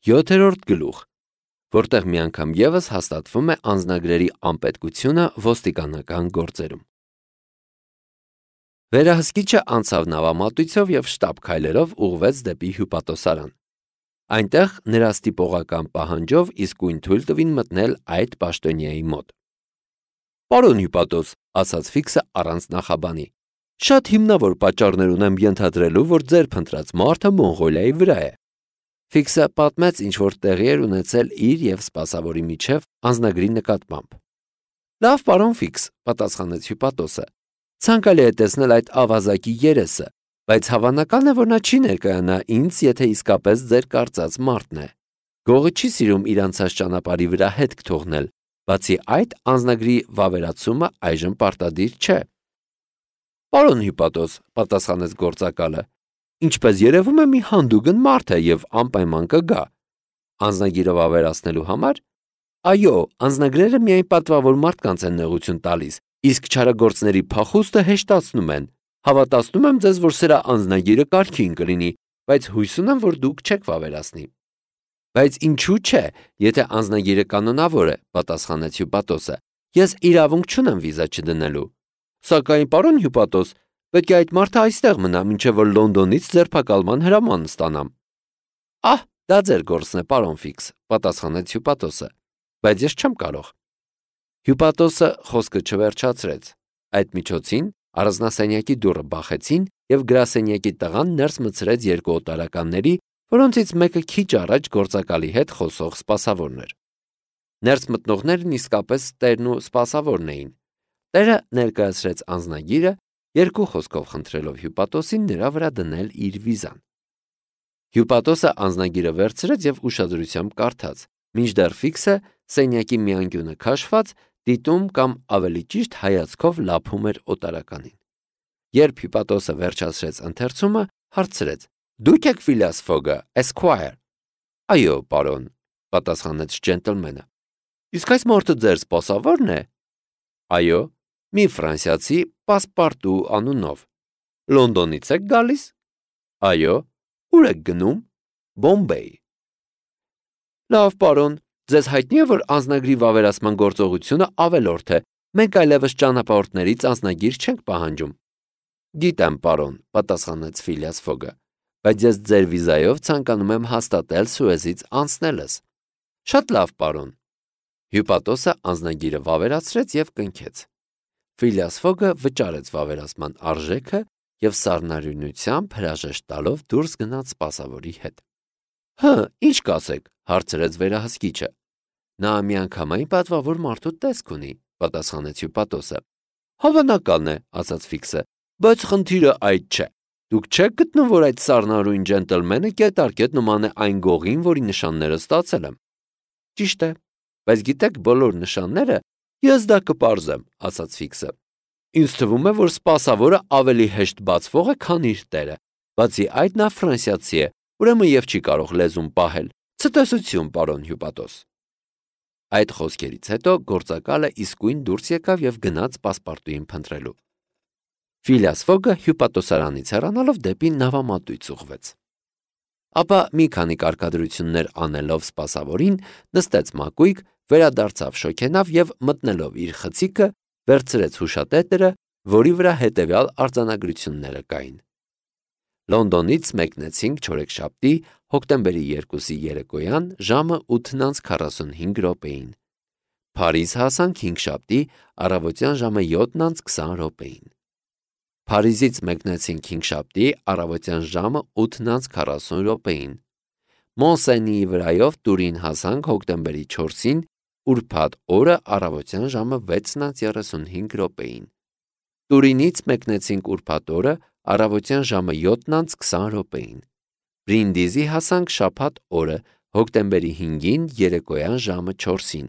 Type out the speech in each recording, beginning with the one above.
7-րդ գլուխ, որտեղ մի անգամ ևս հաստատվում է անձնագրերի անպետքությունը ոստիկանական գործերում։ Վերահսկիչը անցավ նավամատույցով և շտապ քայլերով ուղղվեց դեպի հյուպատոսարան։ Այնտեղ նրա ստիպողական պահանջով իսկույն թույլ տվին մտնել այդ պաշտոնյայի մոտ։ «Պարոն հյուպատոս», ասաց Ֆիքսը առանց նախաբանի, «շատ հիմնավոր պատճառներ ունեմ ենթադրելու, որ ձեր փնտրած մարդը Մոնղոլիայի վրա է»։ Ֆիքսը պատմեց, ինչ որ տեղի էր ունեցել իր և սպասավորի միջև անձնագրի նկատմամբ։ «Լավ, պարոն Ֆիքս», պատասխանեց հյուպատոսը, «ցանկալի է տեսնել այդ ավազակի երեսը, բայց հավանական է, որ նա չի ներկայանա ինձ, եթե իսկապես ձեր կարծած մարդն է։ Գողը չի սիրում իր անցած ճանապարհի վրա հետք թողնել, բացի այդ անձնագրի վավերացումը այժմ պարտադիր չէ»։ «Պարոն հյուպատոս», պատասխանեց գործակալը, «ինչպես երևում է, մի հանդուգն մարդ է և անպայման կգա»։ «Անձնագիրը վավերացնելու համար»։ «Այո, անձնագրերը միայն պատվավոր մարդկանց են նեղություն տալիս, իսկ չարագործների փախուստը հեշտացնում են։ Հավատացնում եմ ձեզ, որ սրա անձնագիրը կարգին կլինի, բայց հույս ունեմ, որ դուք չեք վավերացնի»։ «Բայց ինչու՞ չէ, եթե անձնագիրը կանոնավոր է», պատասխանեց հյուպատոսը, «ես իրավունք չունեմ վիզա չդնելու։ Սակայն, պարոն հյուպատոս, պետք է այդ մարդը այստեղ մնա, մինչև որ Լոնդոնից ձերբակալման հրաման ստանամ»։ «Ահ, դա ձեր գործն է, պարոն Ֆիքս», պատասխանեց հյուպատոսը, «բայց ես չեմ կարող»։ Հյուպատոսը խոսքը չվերջացրեց։ Այդ միջոցին առանձնասենյակի դուռը բախեցին և գրասենյակի տղան ներս մտցրեց երկու օտարականների, որոնցից մեկը քիչ առաջ գործակալի հետ խոսող սպասավորն էր։ Ներս մտնողներն իսկապես տերն ու սպասավորն էին։ Տերը ներկայացրեց անձնագիրը, երկու խոսքով խնդրելով հյուպատոսին նրա վրա դնել իր վիզան։ Հյուպատոսը անձնագիրը վերցրեց և ուշադրությամբ կարդաց, մինչդեռ Ֆիքսը սենյակի մի անկյունը քաշված դիտում կամ ավելի ճիշտ հայացքով լափում էր օտարականին։ Երբ հյուպատոսը վերջացրեց ընթերցումը, հարցրեց. «Դուք եք Ֆիլիաս Ֆոգը, Esquire»։ «Այո, պարոն», պատասխանեց ջենտլմենը։ «Իսկ այս մարդը ձեր սպասավո՞րն է»։ «Այո, մի ֆրանսիացի Պասպարտու անունով»։ «Լոնդոնից եք գալիս»։ «Այո»։ «Ուր եք գնում»։ «Բոմբեյ»։ «Լավ, պարոն, ձեզ հայտնի է, որ անձնագրի վավերացման գործողությունը ավելորդ է, մենք այլևս ճանապարհորդներից անձնագիր չենք պահանջում»։ «Գիտեմ, պարոն», պատասխանեց Ֆիլիաս Ֆոգը, «բայց ես ձեր վիզայով ցանկանում եմ հաստատել Սուեզից անցնելս»։ «Շատ լավ, պարոն»։ Հյուպատոսը անձնագիրը վավերացրեց և կնքեց։ Ֆիլիաս Ֆոգը վճարեց վավերացման արժեքը և սառնարյունությամբ հրաժեշտ տալով դուրս գնաց սպասավորի հետ։ Ինչ կասեք, հարցրեց վերահսկիչը։ Նա միանգամայն պատվավոր մարդու տեսք ունի, պատասխանեց հյուպատոսը։ Հավանական է, ասաց Ֆիքսը, բայց խնդիրը այդ չէ։ Դուք չեք գտնում, որ այդ սառնարյուն ջենտլմենը կետարկետ նման է այն գողին, որի նշանները ստացել եմ։ Ճիշտ է, բայց գիտեք, բոլոր նշանները ես դա կպարզեմ, ասաց Ֆիքսը։ Ինձ թվում է, որ սպասավորը ավելի հեշտ բացվող է, քան իր տերը։ Բացի այդ նա ֆրանսիացի է, ուրեմն եւ չի կարող լեզուն պահել։ Ցտեսություն, պարոն հյուպատոս։ Այդ խոսքերից հետո գործակալը իսկույն դուրս եկավ եւ գնաց պասպարտուին փնտրելու։ Ֆիլիաս Ֆոգը հյուպատոսարանից հեռանալով դեպի նավամատույց ուղղվեց։ Ապա մի քանի կարգադրություններ անելով սպասավորին նստեց մակույկ, վերադարձավ շոքենավ եւ մտնելով իր խցիկը վերցրեց հուշատետրը, որի վրա հետեւյալ արձանագրությունները կային։ Լոնդոնից մեկնեցինք չորեքշաբթի հոկտեմբերի 2-ի երեկոյան ժամը 8:45 րոպեին։ Փարիզ հասանք հինգշաբթի առավոտյան ժամը 7:20 րոպեին։ Փարիզից մեկնեցինք հինգշաբթի առավոտյան ժամը 8:40 րոպեին։ Մոնսենիի վրայով Տուրին հասանք հոկտեմբերի 4-ին ուրբաթ օրը առավոտյան ժամը 6:35 րոպեին։ Տուրինից մեկնեցինք ուրբաթ օրը առավոտյան ժամը 7:20 րոպեին։ Բրինդիզի հասանք շաբաթ օրը հոկտեմբերի 5-ին երեկոյան ժամը 4-ին։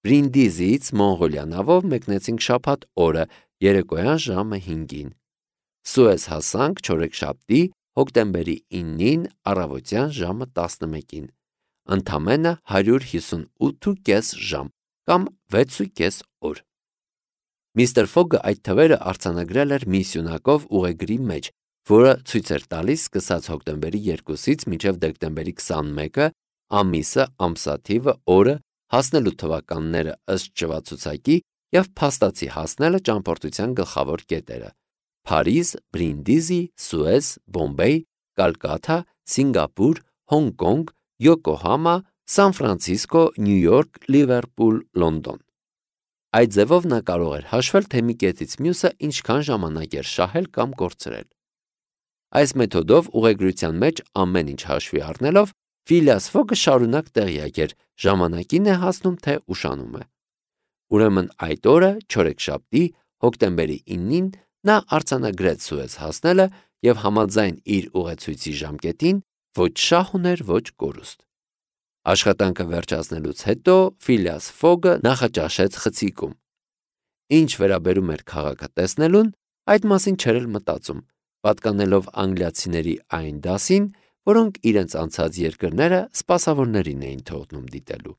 Բրինդիզից Մոնղոլիա նավով մեկնեցինք շաբաթ օրը երեկոյան ժամը 5-ին։ Սուեզ հասանք չորեքշաբթի հոկտեմբերի 9-ին առավոտյան ժամը 11-ին։ Ընդամենը 158.5 ժամ կամ 6.5 օր։ Միստր Ֆոգը այդ թվերը արձանագրել էր մի սյունակով ուղեգրի մեջ, որը ցույց էր տալիս սկսած հոկտեմբերի 2-ից մինչև դեկտեմբերի 21-ը ամիսը, ամսաթիվը, օրը, հասնելու թվականները ըստ ճվացուցակի և փաստացի հասնելը ճամփորդության գլխավոր կետերը. Փարիզ, Բրինդիզի, Սուեզ, Բոմբեյ, Կալկաթա, Սինգապուր, Հոնկոնգ, Յոկոհամա, Սան Ֆրանցիսկո, Նյու Յորք, Լիվերպուլ, Լոնդոն։ Այդ ձևով նա կարող էր հաշվել, թե մի կետից մյուսը ինչքան ժամանակ էր շահել կամ կորցրել։ Այս մեթոդով ուղեգրության մեջ ամեն ինչ հաշվի առնելով Ֆիլիաս Ֆոգը շարունակ տեղյակ էր ժամանակին է հասնում, թե ուշանում է։ Ուրեմն այդ օրը, չորեքշաբթի, հոկտեմբերի 9-ին նա արձանագրեց Սուեզ հասնելը և համաձայն իր ուղեցույցի ժամկետին ոչ շահ ուներ, ոչ կորուստ։ Աշխատանքը վերջացնելուց հետո Ֆիլիաս Ֆոգը նախաճաշեց խցիկում։ Ինչ վերաբերում էր քաղաքը տեսնելուն, այդ մասին չէր էլ մտածում, պատկանելով անգլիացիների այն դասին, որոնք իրենց անցած երկրները սպասավորներին էին թողնում դիտելու։